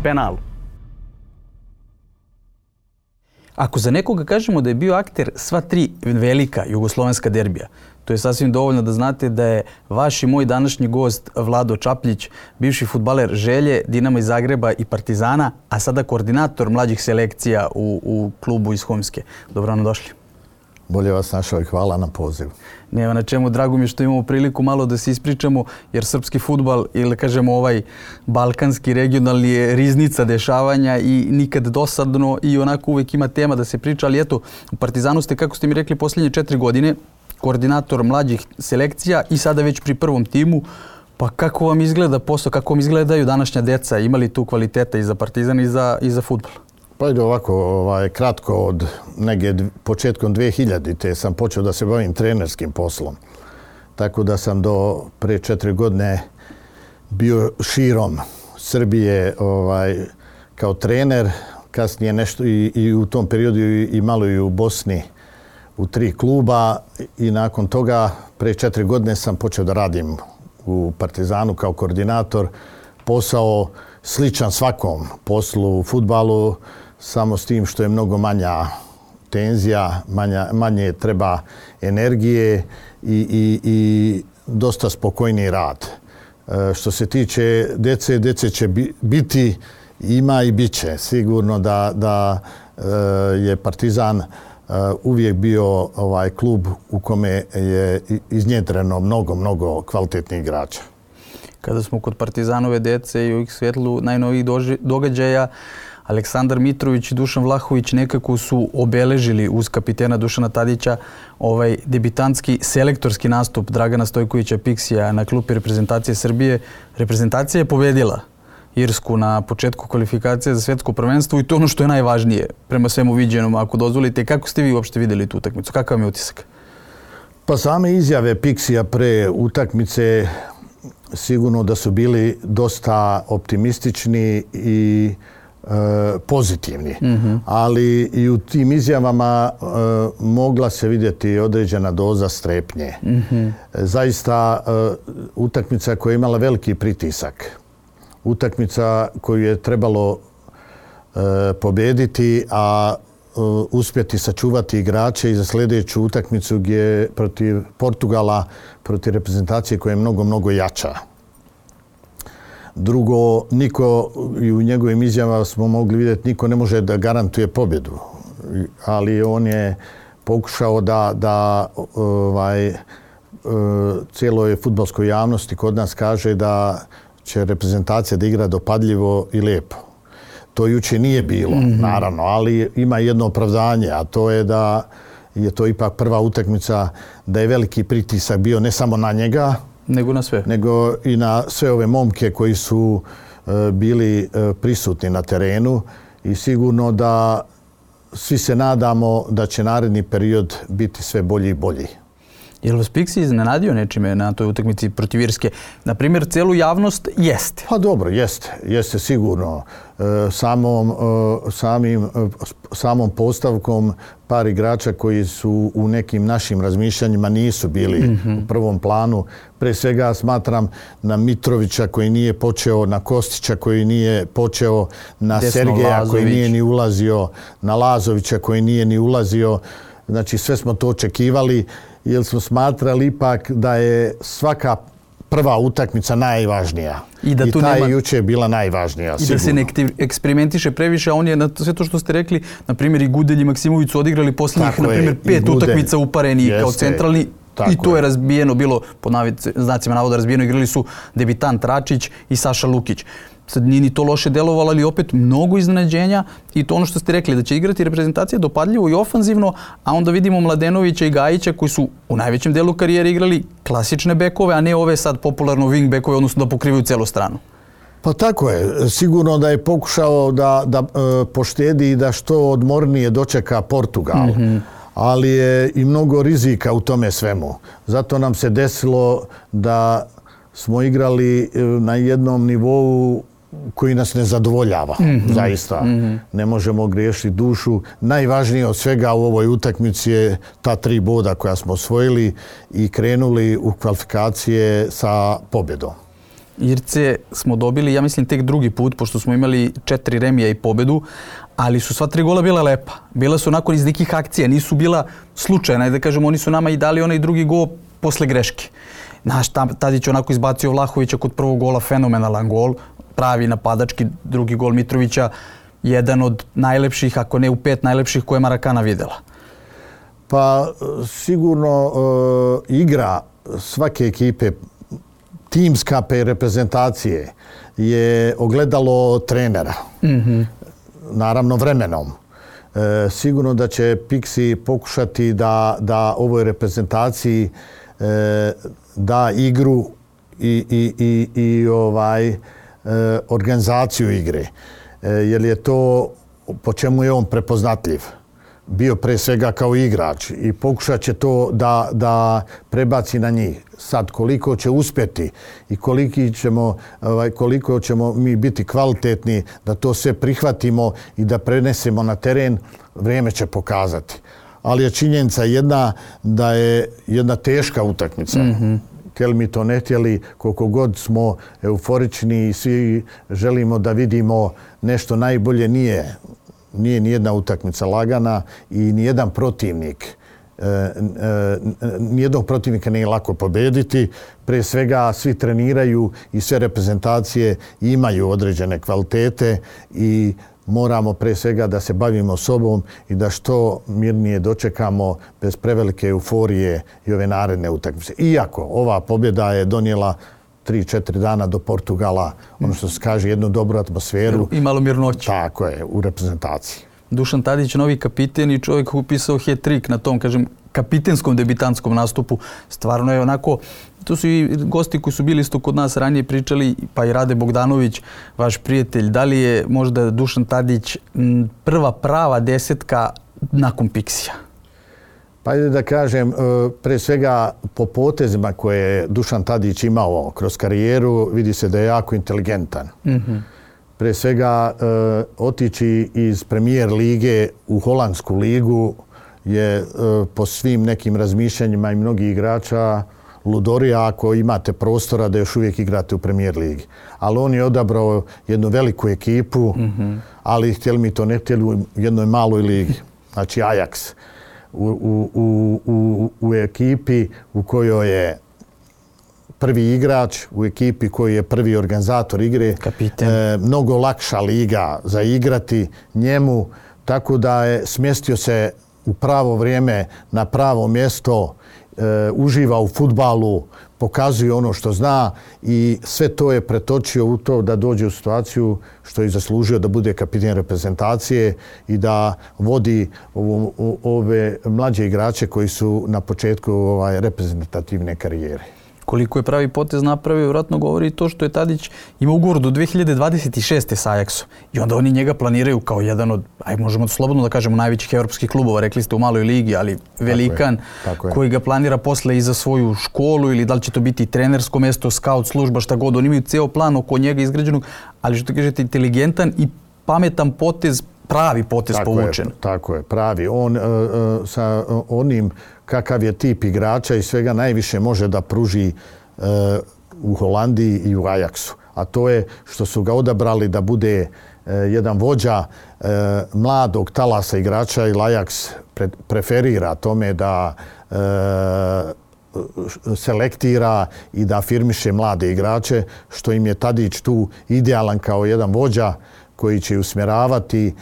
penalu. Ako za nekoga kažemo da je bio akter sva tri velika jugoslovenska derbija, to je sasvim dovoljno da znate da je vaš i moj današnji gost Vlado Čapljić, bivši fudbaler Želje, Dinama iz Zagreba i Partizana, a sada koordinator mlađih selekcija u klubu iz Humske. Dobro nam došli. Bolje vas našao i hvala na pozivu. Nema na čemu, drago mi što imamo priliku malo da se ispričamo, jer srpski fudbal, ili kažemo ovaj balkanski, regionalni je riznica dešavanja i nikad dosadno i onako uvijek ima tema da se priča, ali eto, u Partizanu ste, kako ste mi rekli, posljednje 4 godine koordinator mlađih selekcija i sada već pri prvom timu. Pa kako vam izgleda posao, kako vam izgledaju današnja deca? Ima li tu kvaliteta i za Partizan i za fudbal? Pa ide ovako, kratko od negdje početkom 2000-te sam počeo da se bavim trenerskim poslom. Tako da sam do pre 4 godine bio širom Srbije kao trener. Kasnije nešto i u tom periodu i malo i u Bosni u 3 kluba i nakon toga pre 4 godine sam počeo da radim u Partizanu kao koordinator. Posao sličan svakom poslu u fudbalu, samo s tim što je mnogo manja tenzija, manje treba energije i dosta spokojniji rad. Što se tiče dece će biti, ima i bit će. Sigurno da je Partizan uvijek bio klub u kome je iznjedreno mnogo kvalitetnih igrača. Kada smo kod Partizanove dece i u ih svjetlu najnovijih događaja, Aleksandar Mitrović i Dušan Vlahović nekako su obeležili uz kapitena Dušana Tadića ovaj debitantski selektorski nastup Dragana Stojkovića Piksija na klupi reprezentacije Srbije. Reprezentacija je pobedila Irsku na početku kvalifikacije za svjetsko prvenstvo i to ono što je najvažnije prema svemu viđenom. Ako dozvolite, kako ste vi uopšte vidjeli tu utakmicu? Kakav vam je utisak? Pa same izjave Piksija pre utakmice sigurno da su bili dosta optimistični i pozitivni. Ali i u tim izjavama mogla se vidjeti određena doza strepnje. Zaista utakmica koja je imala veliki pritisak. Utakmica koju je trebalo pobjediti, a uspjeti sačuvati igrače i za sljedeću utakmicu gdje protiv Portugala, protiv reprezentacije koja je mnogo jača. Drugo, niko, i u njegovim izjavama smo mogli vidjeti, niko ne može da garantuje pobjedu. Ali on je pokušao da cijeloj fudbalskoj javnosti kod nas kaže da će reprezentacija da igra dopadljivo i lijepo. To jučer nije bilo, naravno, ali ima jedno opravdanje, a to je da je to ipak prva utakmica, da je veliki pritisak bio ne samo na njega, nego i na sve ove momke koji su bili prisutni na terenu i sigurno da svi se nadamo da će naredni period biti sve bolji i bolji. Je li vas Piksi iznenadio nečime na toj utakmici protiv Irske? Naprimjer, celu javnost jeste. Pa dobro, jeste sigurno. Samom postavkom par igrača koji su u nekim našim razmišljanjima nisu bili u prvom planu. Pre svega smatram na Mitrovića koji nije počeo, na Kostića koji nije počeo, na Desno Sergeja Lazović, koji nije ni ulazio, na Lazovića koji nije ni ulazio. Znači sve smo to očekivali jer smo smatrali ipak da je svaka prva utakmica najvažnija. I ta je jučer bila najvažnija, sigurno. I da se ne eksperimentiše previše, a on je na sve to što ste rekli, na primjer i Gudelj i Maksimović su odigrali posljednjih, na primjer, 5 utakmica upareni kao centralni. I to je razbijeno bilo, pod znacima navoda razbijeno, igrali su debitant Račić i Saša Lukić. Sad nije ni to loše delovalo, ali opet mnogo iznenađenja i to ono što ste rekli, da će igrati reprezentacija dopadljivo i ofanzivno, a onda vidimo Mladenovića i Gajića koji su u najvećem delu karijere igrali klasične bekove, a ne ove sad popularno wing bekove, odnosno da pokrivaju celu stranu. Pa tako je. Sigurno da je pokušao da poštedi i da što odmornije dočeka Portugal. Ali je i mnogo rizika u tome svemu. Zato nam se desilo da smo igrali na jednom nivou koji nas ne zadovoljava. Zaista. Ne možemo griješiti dušu. Najvažnije od svega u ovoj utakmici je ta 3 boda koja smo osvojili i krenuli u kvalifikacije sa pobjedom. Irce smo dobili, ja mislim, tek drugi put, pošto smo imali 4 remija i pobedu, ali su sva 3 gola bila lepa. Bila su onako iz nekih akcija, nisu bila slučajna. Da kažemo, oni su nama i dali onaj drugi gol posle greške. Naš Tadić onako izbacio Vlahovića kod prvog gola, fenomenalan gol, pravi napadački, drugi gol Mitrovića, jedan od najlepših, ako ne u 5 najlepših koje je Marakana videla. Pa sigurno igra svake ekipe, timska reprezentacije je ogledalo trenera. Naravno vremenom. Sigurno da će Pixi pokušati da ovoj reprezentaciji da igru i organizaciju igre. Jer je to po čemu je on prepoznatljiv. Bio pre svega kao igrač i pokušat će to da prebaci na njih. Sad koliko će uspjeti i koliko ćemo mi biti kvalitetni da to sve prihvatimo i da prenesemo na teren, vrijeme će pokazati. Ali je činjenica jedna da je jedna teška utakmica. Htjeli mi to ne htjeli, koliko god smo euforični i svi želimo da vidimo nešto najbolje, nije nijedna utakmica lagana i nijedan protivnik. Nijednog protivnika nije lako pobediti. Pre svega svi treniraju i sve reprezentacije imaju određene kvalitete i moramo pre svega da se bavimo sobom i da što mirnije dočekamo bez prevelike euforije i ove naredne utakmice. Iako ova pobjeda je donijela 3-4 dana do Portugala, ono što se kaže, jednu dobru atmosferu. I malo mirnoće. Tako je, u reprezentaciji. Dušan Tadić, novi kapiten i čovjek koji je upisao hat-trick na tom, kažem, kapitenskom debitantskom nastupu. Stvarno je onako, to su i gosti koji su bili isto kod nas ranije pričali, pa i Rade Bogdanović, vaš prijatelj. Da li je možda Dušan Tadić prva prava desetka nakon Pixija? Pa ajde da kažem, pre svega po potezima koje je Dušan Tadić imao kroz karijeru, vidi se da je jako inteligentan. Pre svega otići iz Premier lige u Holandsku ligu je po svim nekim razmišljanjima i mnogih igrača ludorija ako imate prostora da još uvijek igrate u Premier ligi. Ali on je odabrao jednu veliku ekipu, ali htjeli mi to ne htjeli u jednoj maloj ligi, znači Ajax. U ekipi u kojoj je prvi igrač, u ekipi koji je prvi organizator igre, mnogo lakša liga za igrati njemu, tako da je smjestio se u pravo vrijeme na pravo mjesto, uživa u fudbalu, pokazuje ono što zna i sve to je pretočio u to da dođe u situaciju što je zaslužio da bude kapiten reprezentacije i da vodi ove mlađe igrače koji su na početku reprezentativne karijere. Koliko je pravi potez napravio, vjerojatno govori i to što je Tadić imao ugovor do 2026. sa Ajaxom. I onda oni njega planiraju kao jedan od, možemo slobodno da kažemo, najvećih evropskih klubova, rekli ste u maloj ligi, ali velikan, koji ga planira posle i za svoju školu ili da li će to biti trenersko mjesto, scout služba, šta god. Oni imaju ceo plan oko njega izgrađenog, ali što kažete, inteligentan i pametan potez, pravi potez povučen. Tako je, pravi. On sa onim kakav je tip igrača i svega najviše može da pruži u Holandiji i u Ajaxu. A to je što su ga odabrali da bude jedan vođa mladog talasa igrača i Ajax preferira tome da selektira i da afirmiše mlade igrače, što im je Tadić tu idealan kao jedan vođa koji će usmjeravati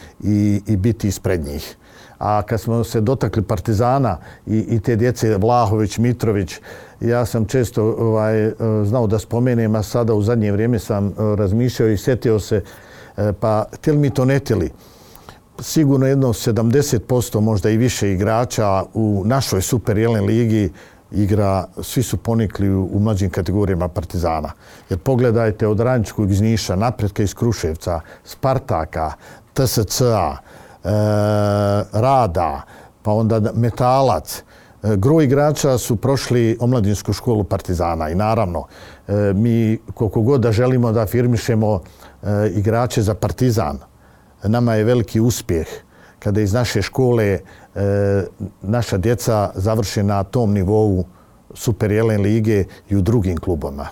i biti ispred njih. A kad smo se dotakli Partizana i te djece Vlahović, Mitrović, ja sam često znao da spomenem, a sada u zadnje vrijeme sam razmišljao i sjetio se, pa htjeli mi to ne htjeli. Sigurno jedno 70%, možda i više igrača u našoj Super Jelen ligi igra, svi su ponikli u mlađim kategorijama Partizana. Jer pogledajte od Radničkog iz Niša, Napretka iz Kruševca, Spartaka, TSC-a, Rada, pa onda Metalac. Gro igrača su prošli omladinsku školu Partizana i naravno mi koliko god da želimo da afirmišemo igrače za Partizan, nama je veliki uspjeh kada iz naše škole naša djeca završe na tom nivou Super Jelen lige i u drugim klubama.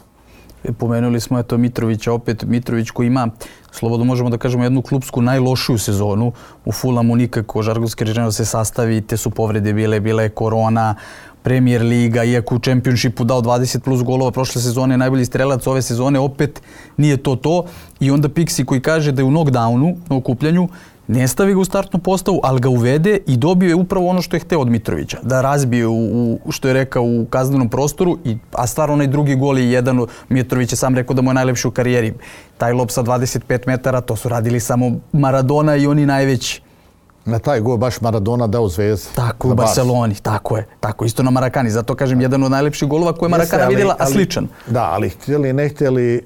Pomenuli smo Mitrovića opet. Mitrović koji ima, slobodno možemo da kažemo, jednu klupsku najlošiju sezonu. U Fulamu nikako, žargonski rečeno, se sastavi, te su povrede bila je korona, Premier Liga, iako u Championshipu dao 20 plus golova prošle sezone, najbolji strelac ove sezone, opet nije to. I onda Pixi koji kaže da je u knockdownu, na okupljanju, ne stavi ga u startnu postavu, ali ga uvede i dobio je upravo ono što je hteo od Mitrovića. Da razbije, što je rekao, u kaznenom prostoru, a stvarno onaj drugi gol je jedan. Mitrović je sam rekao da mu je najlepši u karijeri. Taj lob sa 25 metara, to su radili samo Maradona i oni najveći. Na taj gol baš Maradona dao Zvezdi. Tako, u Barceloni, tako je. Tako, isto na Marakani. Zato kažem, jedan od najlepših golova koje je Marakana vidjela, a sličan. Da, ali htjeli, ne htjeli,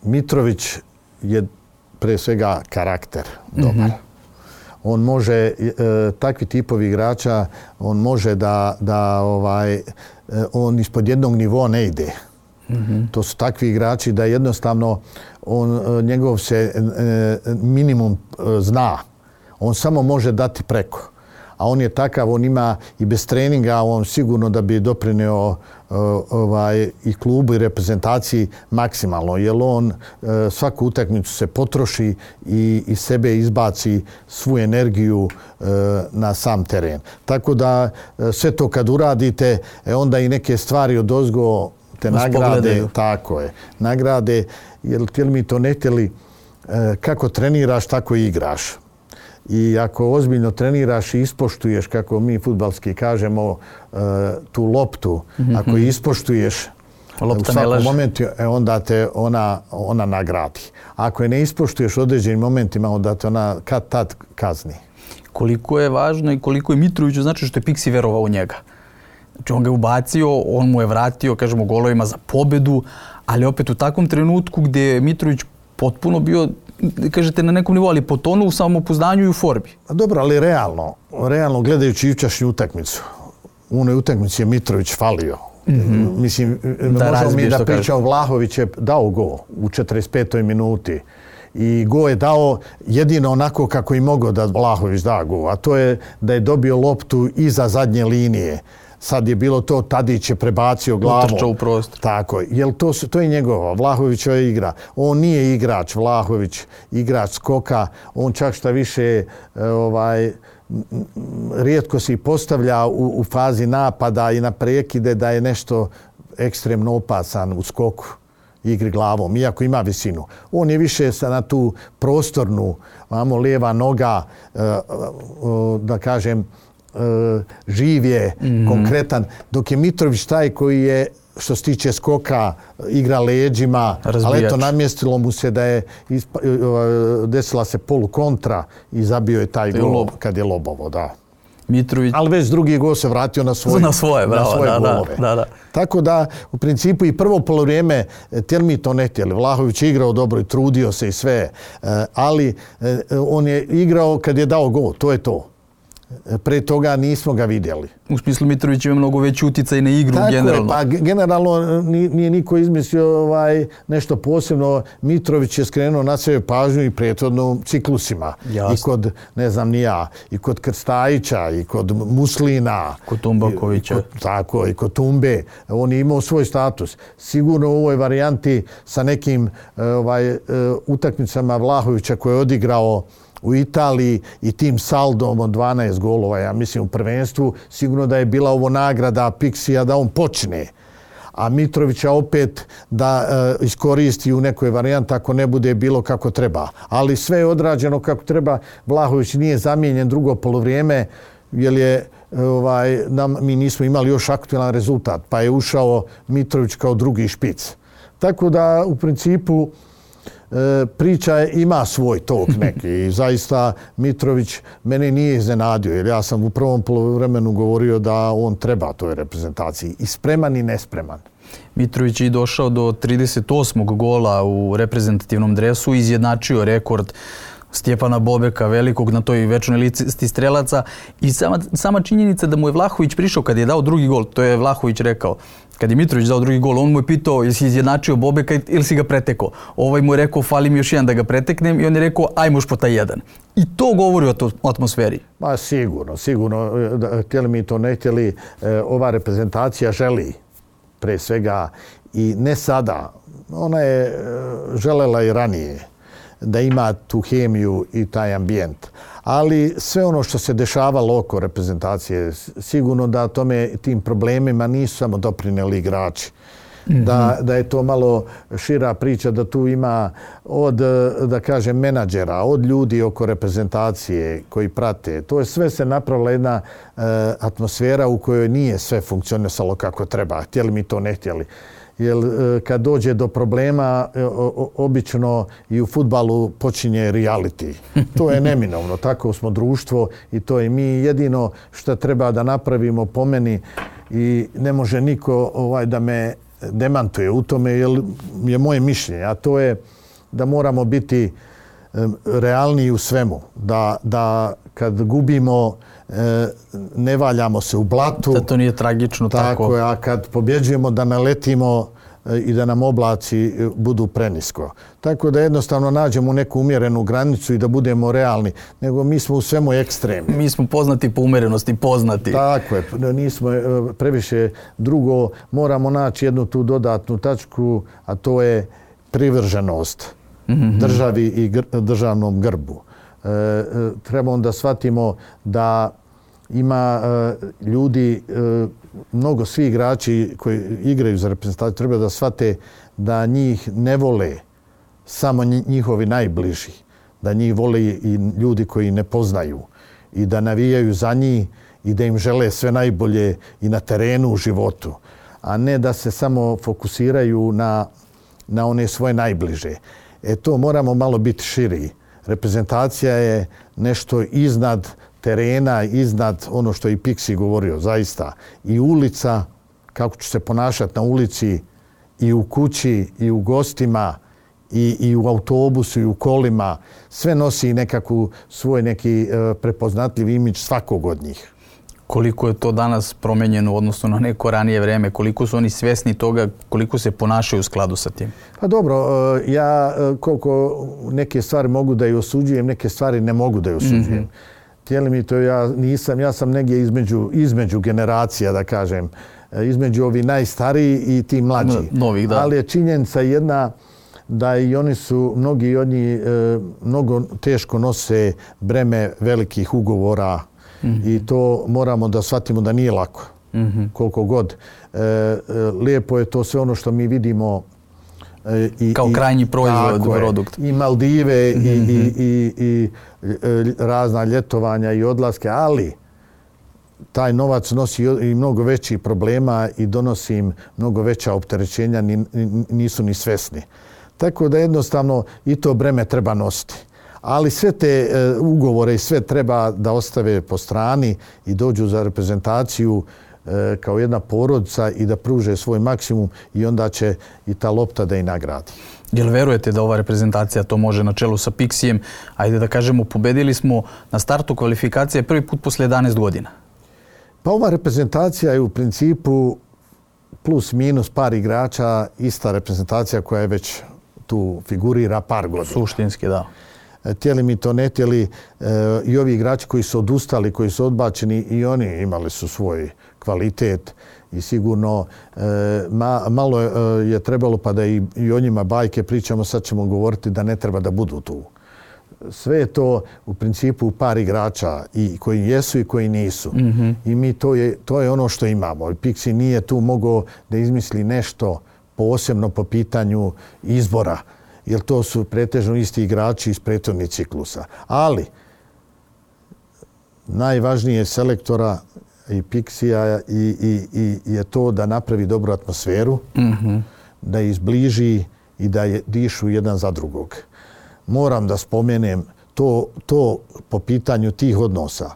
Mitrović je pre svega karakter dobar. On može, takvi tipovi igrača, on može on ispod jednog nivoa ne ide. To su takvi igrači da jednostavno njegov se minimum zna. On samo može dati preko. A on je takav, on ima i bez treninga, on sigurno da bi doprineo i klubu i reprezentaciji maksimalno. Jer on svaku utakmicu se potroši i sebe izbaci svu energiju na sam teren. Tako da sve to kad uradite, onda i neke stvari odozgo te nagrade. Tako je. Nagrade, jer htjeli mi to ne htjeli, kako treniraš, tako i igraš. I ako ozbiljno treniraš i ispoštuješ, kako mi fudbalski kažemo, tu loptu, ako je ispoštuješ u svakom momentu, onda te ona nagradi. Ako je ne ispoštuješ u određenim momentima, onda te ona kad tad kazni. Koliko je važno i koliko je Mitroviću znači što je Pixi verovao u njega. Znači on ga je ubacio, on mu je vratio, kažemo, golovima za pobedu, ali opet u takvom trenutku gdje je Mitrović potpuno bio, kažete, na nekom nivou, ali potonuo u samopouzdanju i u formi. Dobro, ali realno gledajući jučerašnju utakmicu, u onoj utakmici je Mitrović falio. Mislim, možemo mi da pričamo, Vlahović je dao gol u 45. minuti. I gol je dao jedino onako kako i mogao da Vlahović da gol, a to je da je dobio loptu iza zadnje linije. Sad je bilo to, Tadić je prebacio glavom. Utrčao u prostor. Tako je. Jer to je njegova, Vlahovićova igra. On nije igrač, Vlahović, igrač skoka. On čak šta više rijetko se i postavlja u fazi napada i na prekide da je nešto ekstremno opasan u skoku, igri glavom, iako ima visinu. On je više na tu prostornu, lijeva noga, da kažem, živ je, konkretan, dok je Mitrović taj koji je, što se tiče skoka, igra leđima, ali eto, namjestilo mu se da je desila se polukontra i zabio je taj gol kad je lobovo, da. Mitrović. Ali već drugi gol se vratio na svoje golove. Da. Tako da, u principu, i prvo polovrijeme, htjeli mi to ne htjeli. Vlahović je igrao dobro i trudio se i sve, ali on je igrao kad je dao gol, to je to. Pre toga nismo ga vidjeli. U smislu Mitrović ima mnogo veći utjecaj na igru generalno. Tako je, pa generalno nije niko izmislio nešto posebno. Mitrović je skrenuo na sebe pažnju i prethodno ciklusima. Jasno. I kod, ne znam ni ja, i kod Krstajića, i kod Muslina. Kod Tumbakovića. Tako, i kod Tumbe. On je imao svoj status. Sigurno u ovoj varijanti sa nekim utakmicama Vlahovića koje je odigrao u Italiji i tim saldom od 12 golova, ja mislim, u prvenstvu, sigurno da je bila ovo nagrada Pixija da on počne. A Mitrovića opet da iskoristi u nekoj varijanti ako ne bude bilo kako treba. Ali sve je odrađeno kako treba. Vlahović nije zamijenjen drugo polovrijeme, jer je mi nismo imali još aktualan rezultat, pa je ušao Mitrović kao drugi špic. Tako da, u principu, priča ima svoj tok neki i zaista Mitrović mene nije iznenadio, jer ja sam u prvom poluvremenu govorio da on treba toj reprezentaciji, i spreman i nespreman. Mitrović je došao do 38. gola u reprezentativnom dresu, izjednačio rekord Stjepana Bobeka, velikog na toj večnoj listi strelaca, i sama činjenica da mu je Vlahović prišao kad je dao drugi gol, to je Vlahović rekao. Kad je Mitrović dao drugi gol, on mu je pitao jesi izjednačio Bobeka ili si ga pretekao. Ovaj mu je rekao fali mi još jedan da ga preteknem, i on je rekao ajmo još po taj jedan. I to govori o atmosferi. Ma sigurno. Htjeli mi to ne htjeli, ova reprezentacija želi pre svega I ne sada. Ona je želela i ranije da ima tu hemiju i taj ambijent. Ali sve ono što se dešavalo oko reprezentacije, sigurno da tim problemima nisu samo doprineli igrači. Da je to malo šira priča, da tu ima od, da kažem, menadžera, od ljudi oko reprezentacije koji prate. To je sve se napravila jedna atmosfera u kojoj nije sve funkcionisalo kako treba. Htjeli mi to, ne htjeli. Jer kad dođe do problema, obično i u fudbalu počinje reality. To je neminovno. Tako smo društvo i to je mi jedino što treba da napravimo po meni i ne može niko da me demantuje u tome, jer je moje mišljenje, a to je da moramo biti realniji u svemu. Da kad gubimo ne valjamo se u blatu. Da to nije tragično tako. A kad pobjeđujemo da naletimo i da nam oblaci budu prenisko. Tako da jednostavno nađemo neku umjerenu granicu i da budemo realni. Nego mi smo u svemu ekstremni. Mi smo poznati po umjerenosti, poznati. Tako je. Nismo previše. Drugo, moramo naći jednu tu dodatnu tačku, a to je privrženost državi i državnom grbu. Treba onda shvatimo da ima ljudi, mnogo svi igrači koji igraju za reprezentaciju, treba da shvate da njih ne vole samo njihovi najbliži, da njih vole i ljudi koji ne poznaju i da navijaju za njih i da im žele sve najbolje i na terenu u životu, a ne da se samo fokusiraju na one svoje najbliže. To moramo malo biti širi. Reprezentacija je nešto iznad terena, iznad ono što je i Pixi govorio, zaista. I ulica, kako ću se ponašati na ulici, i u kući, i u gostima, i u autobusu, i u kolima. Sve nosi nekakvu svoj neki prepoznatljiv imidž svakog od njih. Koliko je to danas promenjeno u odnosu na neko ranije vreme? Koliko su oni svjesni toga, koliko se ponašaju u skladu sa tim? Pa dobro, ja koliko neke stvari mogu da je osuđujem, neke stvari ne mogu da je osuđujem. Htjeli mi to, ja sam negdje između generacija, da kažem, između ovi najstariji i ti mlađi. Novih, da. Ali je činjenica jedna da i oni su, mnogi od njih mnogo teško nose breme velikih ugovora i to moramo da shvatimo da nije lako. Koliko god. Lijepo je to sve ono što mi vidimo kao krajnji proizvod, produkt. I Maldive i razna ljetovanja i odlaske, ali taj novac nosi i mnogo većih problema i donosi im mnogo veća opterećenja, nisu ni svesni. Tako da jednostavno i to breme treba nositi. Ali sve te ugovore i sve treba da ostave po strani i dođu za reprezentaciju kao jedna porodica i da pruže svoj maksimum i onda će i ta lopta da i nagradi. Jel verujete da ova reprezentacija to može na čelu sa Pixijem? Ajde da kažemo, pobedili smo na startu kvalifikacije prvi put posle 11 godina. Pa ova reprezentacija je u principu plus minus par igrača ista reprezentacija koja je već tu figurira par godina. Suštinski, da. Htjeli mi to, ne htjeli, i ovi igrači koji su odustali, koji su odbačeni, i oni imali su svoj kvalitet i sigurno malo je trebalo pa da i o njima bajke pričamo, sad ćemo govoriti da ne treba da budu tu. Sve je to u principu par igrača i koji jesu i koji nisu. I mi to je ono što imamo. Pixi nije tu mogao da izmisli nešto posebno po pitanju izbora, jer to su pretežno isti igrači iz prethodnih ciklusa. Ali najvažnije selektora i Pixija je to da napravi dobru atmosferu, da ih zbliži i da dišu jedan za drugog. Moram da spomenem to po pitanju tih odnosa.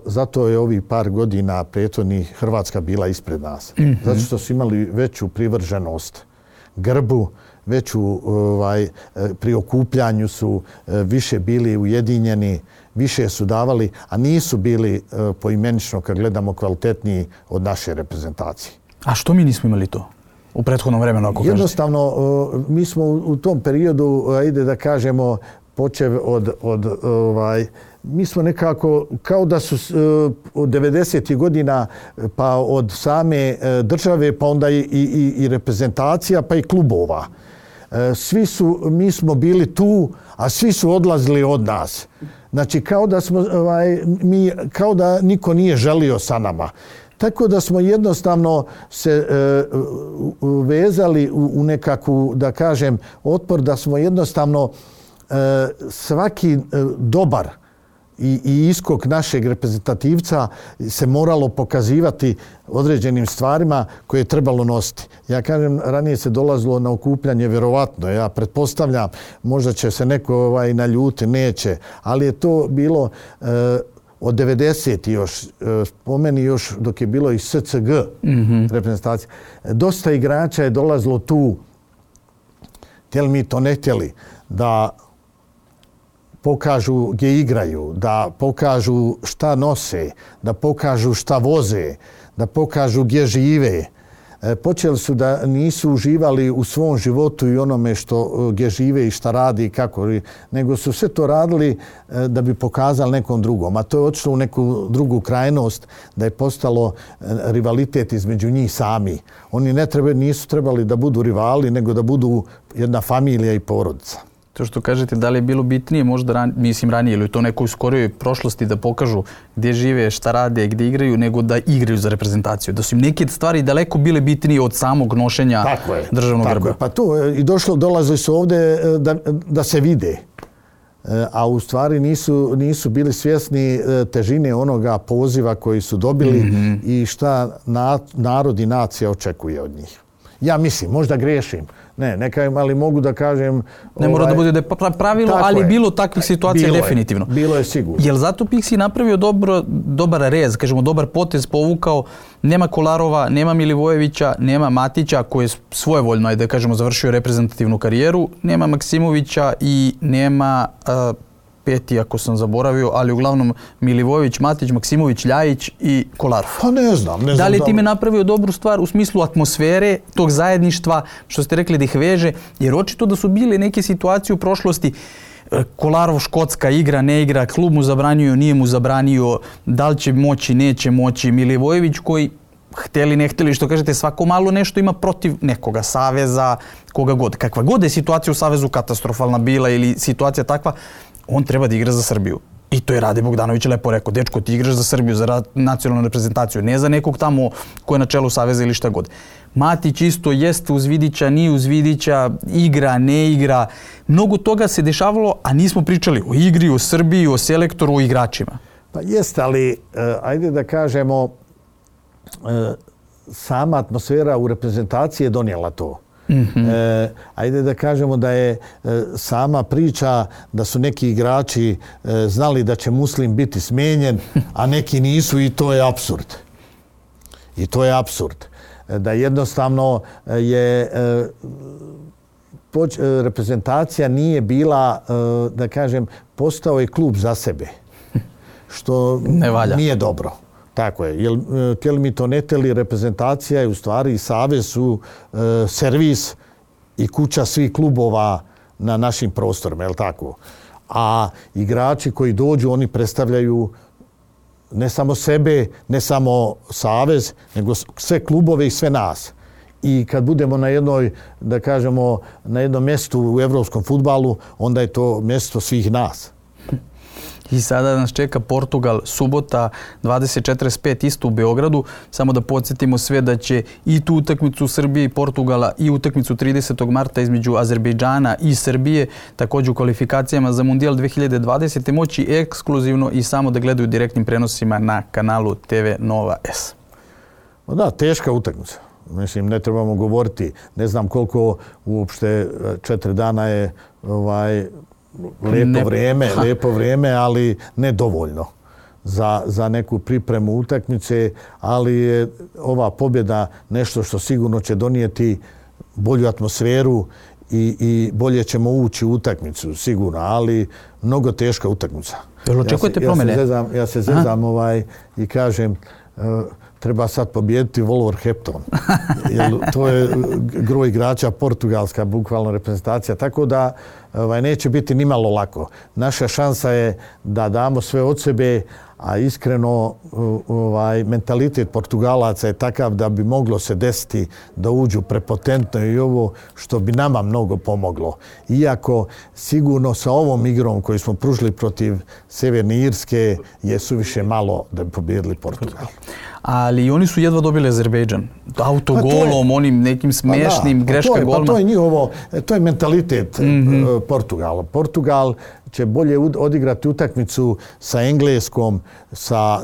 Zato je ovih par godina prethodnih Hrvatska bila ispred nas. Zato što su imali veću privrženost grbu, veću pri okupljanju su više bili ujedinjeni, više su davali, a nisu bili poimenično, kad gledamo, kvalitetniji od naše reprezentacije. A što mi nismo imali to u prethodnom vremenu, ako kažete? Jednostavno, mi smo u tom periodu, ajde da kažemo, počev mi smo nekako, kao da su od 90. godina, pa od same države, pa onda i reprezentacija, pa i klubova. Mi smo bili tu, a svi su odlazili od nas. Znači, kao da niko nije želio sa nama. Tako da smo jednostavno se vezali u nekakvu, da kažem, otpor, da smo jednostavno svaki dobar i iskok našeg reprezentativca se moralo pokazivati određenim stvarima koje je trebalo nositi. Ja kažem, ranije se dolazilo na okupljanje, vjerovatno. Ja pretpostavljam, možda će se neko naljuti, neće. Ali je to bilo od 90. još, spomeni još dok je bilo i SCG reprezentacija. Dosta igrača je dolazilo tu, htjeli mi to ne htjeli, da pokažu gdje igraju, da pokažu šta nose, da pokažu šta voze, da pokažu gdje žive. Počeli su da nisu uživali u svom životu i onome gdje žive i šta radi i kako, nego su sve to radili da bi pokazali nekom drugom. A to je otišlo u neku drugu krajnost, da je postalo rivalitet između njih sami. Oni nisu trebali da budu rivali, nego da budu jedna familija i porodica. To što kažete, da li je bilo bitnije možda ranije ili u to nekoj skorijoj prošlosti da pokažu gdje žive, šta rade, gdje igraju, nego da igraju za reprezentaciju. Da su im neke stvari daleko bile bitnije od samog nošenja državnog grba. Pa to i dolazili su ovdje da se vide. A u stvari nisu bili svjesni težine onoga poziva koji su dobili i šta narod i nacija očekuje od njih. Ja mislim, možda griješim. Ali mogu da kažem... Ne mora da bude pravilo, ali je bilo takvih situacija definitivno. Bilo je sigurno. Jel zato Pixi napravio dobar rez, kažemo dobar potez, povukao, nema Kolarova, nema Milivojevića, nema Matića koji je svojevoljno, da kažemo, završio reprezentativnu karijeru, nema Maksimovića i nema... peti, ako sam zaboravio, ali uglavnom Milivojević, Matić, Maksimović, Ljajić i Kolarov. Pa ne znam. Da li je time napravio dobru stvar u smislu atmosfere, tog zajedništva, što ste rekli da ih veže, jer očito da su bile neke situacije u prošlosti. Kolarov Škotska igra, ne igra, klub mu zabranio, nije mu zabranio, da li će moći, neće moći. Milivojević koji htjeli, ne htjeli, što kažete, svako malo nešto ima protiv nekoga, saveza, koga god. Kakva god je situacija u savezu katastrofalna bila ili situacija takva, on treba da igra za Srbiju. I to je Rade Bogdanović lepo rekao, dečko, ti igraš za Srbiju, za nacionalnu reprezentaciju, ne za nekog tamo ko je na čelu saveza ili šta god. Matić isto jeste uz Vidića, nije uz Vidića, igra, ne igra. Mnogo toga se dešavalo, a nismo pričali o igri, o Srbiji, o selektoru, o igračima. Pa jeste, ali ajde da kažemo, sama atmosfera u reprezentaciji je donijela to. Ajde da kažemo da je sama priča da su neki igrači znali da će Muslim biti smijenjen, a neki nisu, i to je apsurd. I to je apsurd. Da jednostavno je reprezentacija nije bila, da kažem, postao je klub za sebe. Što nije dobro. Tako je. Htjeli mi to ne htjeli, reprezentacija je u stvari i savez su servis i kuća svih klubova na našim prostorima, je li tako? A igrači koji dođu, oni predstavljaju ne samo sebe, ne samo savez, nego sve klubove i sve nas. I kad budemo na jednoj, da kažemo, na jednom mjestu u evropskom fudbalu, onda je to mjesto svih nas. I sada nas čeka Portugal, subota 20:45 isto u Beogradu. Samo da podsjetimo sve da će i tu utakmicu Srbije i Portugala i utakmicu 30. marta između Azerbejdžana i Srbije, također u kvalifikacijama za Mundijal 2020. moći ekskluzivno i samo da gledaju direktnim prenosima na kanalu TV Nova S. Da, teška utakmica. Mislim, ne trebamo govoriti. Ne znam koliko uopšte 4 dana je lepo vrijeme, ali nedovoljno za neku pripremu utakmice, ali je ova pobjeda nešto što sigurno će donijeti bolju atmosferu i bolje ćemo ući u utakmicu, sigurno, ali mnogo teška utakmica. Jel očekujete promjene? Ja se zezam i kažem, treba sad pobijediti Wolverhampton. To je gro igrača portugalska, bukvalno reprezentacija. Tako da neće biti nimalo lako. Naša šansa je da damo sve od sebe, a iskreno mentalitet Portugalaca je takav da bi moglo se desiti da uđu prepotentno i ovo što bi nama mnogo pomoglo. Iako sigurno sa ovom igrom koju smo pružili protiv Sjeverne Irske je suviše malo da bi pobijedili Portugal. Ali oni su jedva dobili Azerbejdžan. Autogolom, onim nekim smešnim, greška golma. To je mentalitet Portugala. Portugal će bolje odigrati utakmicu sa Engleskom,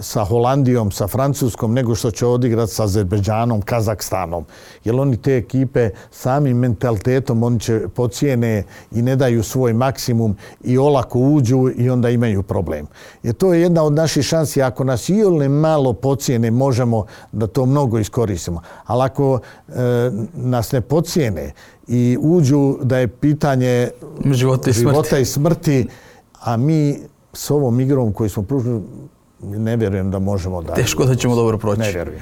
sa Holandijom, sa Francuskom, nego što će odigrati sa Azerbejdžanom, Kazahstanom. Jer oni te ekipe samim mentalitetom oni će pocijene i ne daju svoj maksimum i olako uđu i onda imaju problem. Jer to je jedna od naših šansi. Ako nas iole malo pocijene, možemo da to mnogo iskoristimo. Ali ako nas ne pocijene i uđu da je pitanje života i smrti, a mi s ovom igrom koju smo pružili ne vjerujem da možemo da... Teško da ćemo dobro proći. Ne vjerujem.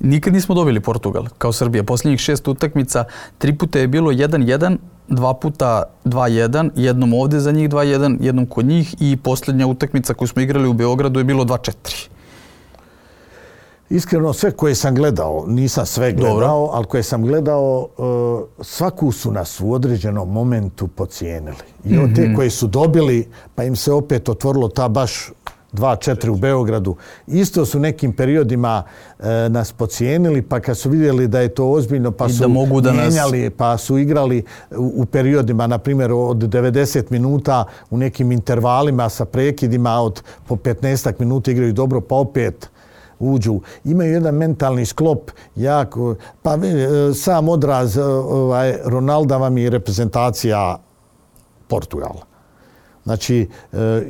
Nikad nismo dobili Portugal kao Srbija. Posljednjih 6 utakmica, 3 puta je bilo 1-1, 2 puta 2-1, jednom ovdje za njih 2-1, jednom kod njih i posljednja utakmica koju smo igrali u Beogradu je bilo 2-4. Iskreno, sve koje sam gledao, nisam sve gledao, ali koje sam gledao, svaku su nas u određenom momentu pocijenili. I od te koje su dobili, pa im se opet otvorilo ta baš 2-4 u Beogradu. Isto su nekim periodima nas pocijenili, pa kad su vidjeli da je to ozbiljno, pa su mijenjali, pa su igrali u periodima, na primjer od 90 minuta u nekim intervalima sa prekidima od po 15 minuta igraju dobro, pa opet uđu. Imaju jedan mentalni sklop jako, pa sam odraz Ronalda vam je reprezentacija Portugala. Znači,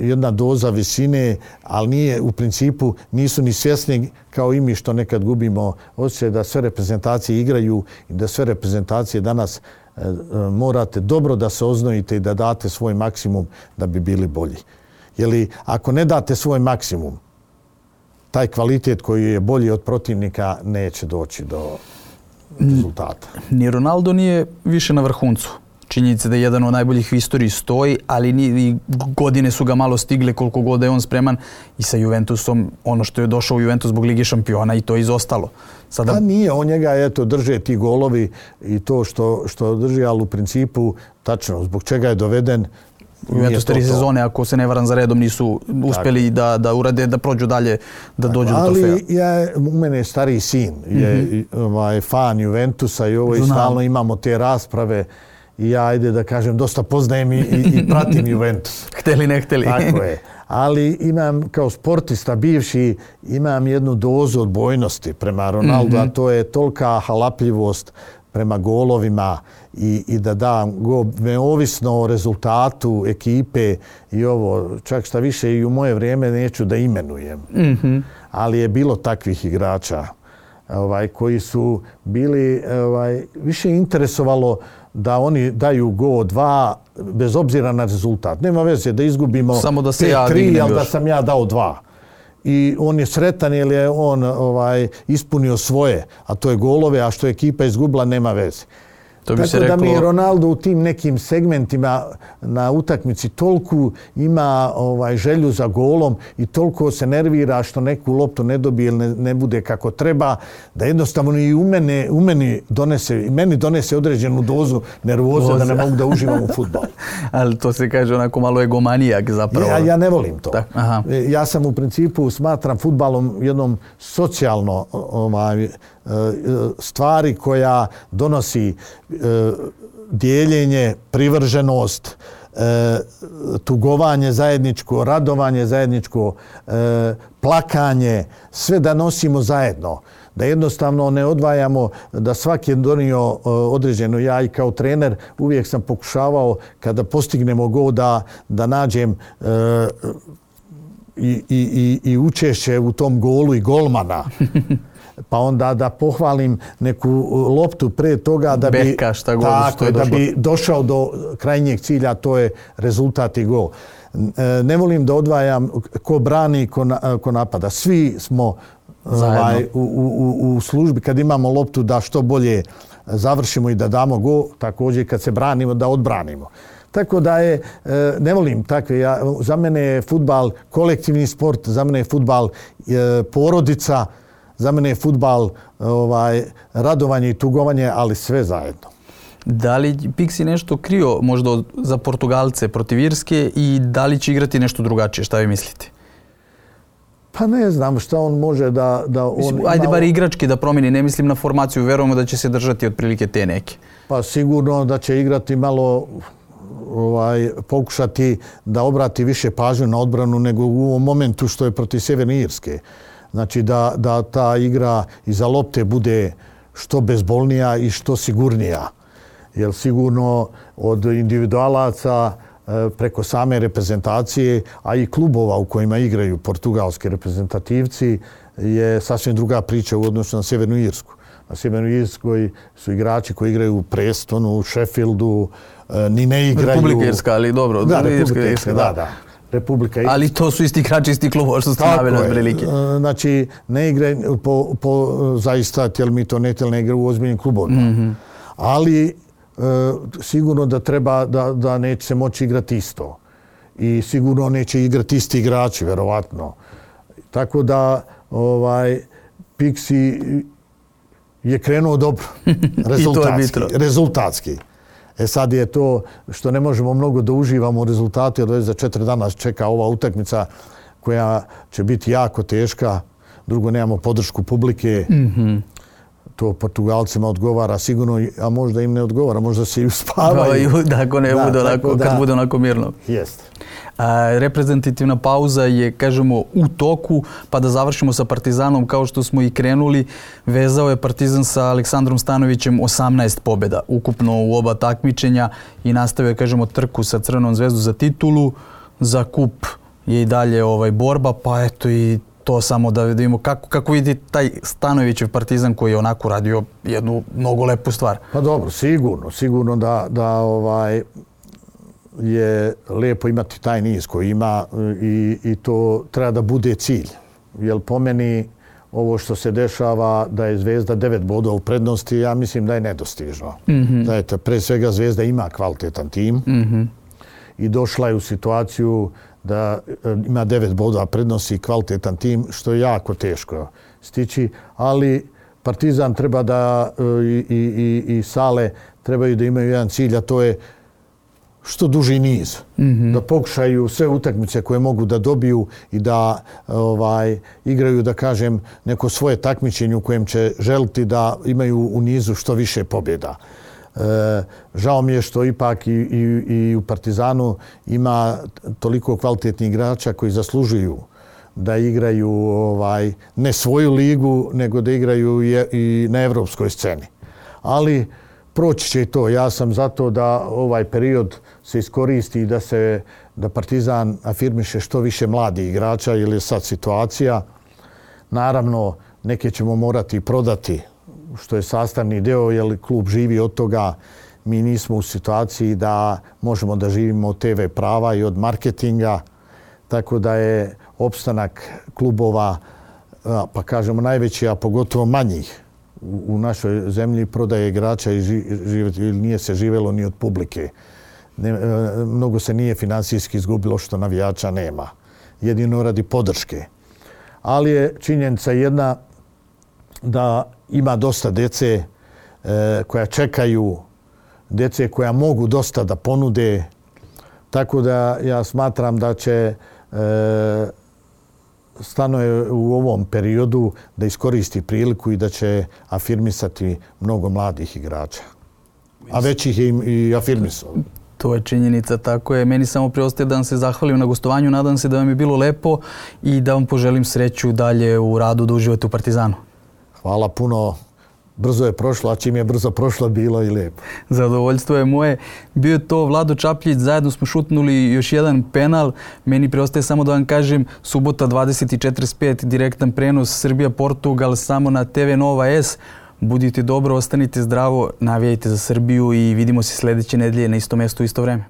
jedna doza visine, ali nije, u principu nisu ni svjesni kao i mi što nekad gubimo osjećaj da sve reprezentacije igraju i da sve reprezentacije danas morate dobro da se oznojite i da date svoj maksimum da bi bili bolji. Jer ako ne date svoj maksimum, taj kvalitet koji je bolji od protivnika neće doći do rezultata. Ni Ronaldo nije više na vrhuncu. Činjenica da je jedan od najboljih u istoriji stoji, ali i godine su ga malo stigle koliko god je on spreman i sa Juventusom, ono što je došao u Juventus zbog Lige šampiona i to je izostalo. Sada... A nije, on njega drže ti golovi i to što drži, ali u principu tačno, zbog čega je doveden. Juventus 3 sezone, ako se ne varam za redom, nisu uspjeli da urade, da prođu dalje, da dođu do trofeja. Ali u mene je stariji sin, je fan Juventusa i ovo i stalno imamo te rasprave i ja, ajde da kažem, dosta poznajem i pratim Juventus. Hteli, ne hteli. Tako je. Ali imam, kao sportista bivši, imam jednu dozu odbojnosti prema Ronaldu, a to je tolika halapljivost prema golovima i da dam gol neovisno o rezultatu ekipe i ovo, čak šta više i u moje vrijeme neću da imenujem. Ali je bilo takvih igrača koji su bili, više interesovalo da oni daju gol 2 bez obzira na rezultat. Nema veze da izgubimo 5-3, ali da sam ja dao 2. I on je sretan jer je on ispunio svoje, a to je golove, a što je ekipa izgubila nema veze. Tako da mi Ronaldo u tim nekim segmentima na utakmici toliko ima želju za golom i toliko se nervira što neku loptu ne dobije ili ne bude kako treba, da jednostavno i meni donese određenu dozu nervoze da ne mogu da uživam u fudbalu. Ali to se kaže onako malo egomanijak zapravo. Ja ne volim to. Ja sam u principu smatram fudbalom jednom socijalno stvari koja donosi dijeljenje, privrženost, tugovanje zajedničko, radovanje zajedničko, plakanje, sve da nosimo zajedno. Da jednostavno ne odvajamo, da svaki je donio određeno. Ja i kao trener uvijek sam pokušavao kada postignemo gol da nađem i učešće u tom golu i golmana. Pa onda da pohvalim neku loptu pre toga da bi došao do krajnjeg cilja, to je rezultat i gol. Ne volim da odvajam ko brani, ko napada. Svi smo u službi kad imamo loptu da što bolje završimo i da damo gol, također kad se branimo da odbranimo. Tako da ne volim takve, za mene je fudbal kolektivni sport, za mene je fudbal porodica, za mene je fudbal radovanje i tugovanje, ali sve zajedno. Da li Pixi nešto krio možda za Portugalce protiv Irske i da li će igrati nešto drugačije? Šta vi mislite? Pa ne znam šta on može da ajde bar igrački da promijeni, ne mislim na formaciju, verujemo da će se držati otprilike te neke. Pa sigurno da će igrati malo, pokušati da obrati više pažnju na odbranu nego u ovom momentu što je protiv Sjeverne Irske. Znači da ta igra iza lopte bude što bezbolnija i što sigurnija. Jer sigurno od individualaca preko same reprezentacije, a i klubova u kojima igraju portugalski reprezentativci, je sasvim druga priča u odnosu na Sjevernu Irsku. Na Sjevernoj Irskoj su igrači koji igraju u Prestonu, u Sheffieldu, ni ne igraju... Republika Irska, ali dobro. Da, Republika Irska, da. Republika Irska. Ali to su isti igrači, isti klubova što ste naveli od prilike. Znači, ne igraju zaista, tjel mi to ne igraju u ozbiljnim klubovima. Ali sigurno da treba da neće se moći igrati isto. I sigurno neće igrati isti igrači, verovatno. Tako da Pixi je krenuo dobro. Rezultatski. Sad je to što ne možemo mnogo da uživamo u rezultatu, jer već za 4 dana čeka ova utakmica koja će biti jako teška. Drugo, nemamo podršku publike. To Portugalcima odgovara sigurno, a možda im ne odgovara, možda se i uspavaju. Ako ne bude onako, kad bude onako mirno. Jeste. Reprezentativna pauza je, kažemo, u toku, pa da završimo sa Partizanom kao što smo i krenuli. Vezao je Partizan sa Aleksandrom Stanovićem 18 pobjeda ukupno u oba takmičenja i nastavio, kažemo, trku sa Crvenom zvezdom za titulu. Za kup je i dalje borba, pa eto i to samo da vidimo kako vidi taj Stanovićev Partizan koji je onako radio jednu mnogo lepu stvar. Pa dobro, sigurno da je lijepo imati taj niz koji ima i to treba da bude cilj. Jer po meni ovo što se dešava da je Zvezda 9 bodova u prednosti, ja mislim da je nedostižno. Znate, pre svega Zvezda ima kvalitetan tim i došla je u situaciju da ima 9 bodova prednosti i kvalitetan tim, što je jako teško stići, ali Partizan treba da i Sale trebaju da imaju jedan cilj, a to je što duži niz. Da pokušaju sve utakmice koje mogu da dobiju i da igraju, da kažem, neko svoje takmičenje u kojem će želiti da imaju u nizu što više pobjeda. Žao mi je što ipak i u Partizanu ima toliko kvalitetnih igrača koji zaslužuju da igraju ne svoju ligu, nego da igraju i na evropskoj sceni. Ali proći će i to. Ja sam zato da ovaj period se iskoristi i da Partizan afirmiše što više mladih igrača, jer je sad situacija. Naravno, neke ćemo morati prodati, što je sastavni deo, jer klub živi od toga. Mi nismo u situaciji da možemo da živimo od TV prava i od marketinga, tako da je opstanak klubova, pa kažemo najveći, a pogotovo manjih u našoj zemlji, prodaje igrača i nije se živelo ni od publike. Mnogo se nije finansijski izgubilo što navijača nema. Jedino radi podrške. Ali je činjenica jedna da ima dosta djece koja čekaju, djece koja mogu dosta da ponude. Tako da ja smatram da će Stanoje u ovom periodu da iskoristi priliku i da će afirmisati mnogo mladih igrača. A već ih je i afirmisao. To je činjenica, tako je. Meni samo preostaje da vam se zahvalim na gostovanju. Nadam se da vam je bilo lepo i da vam poželim sreću dalje u radu da uživate u Partizanu. Hvala puno. Brzo je prošlo, a čim je brzo prošlo, bilo i lijepo. Zadovoljstvo je moje. Bio je to Vlado Čapljić, zajedno smo šutnuli još jedan penal. Meni preostaje samo da vam kažem, subota 20:45, direktan prenos Srbija-Portugal samo na TV Nova S. Budite dobro, ostanite zdravo, navijajte za Srbiju i vidimo se sljedeće nedelje na isto mjesto u isto vreme.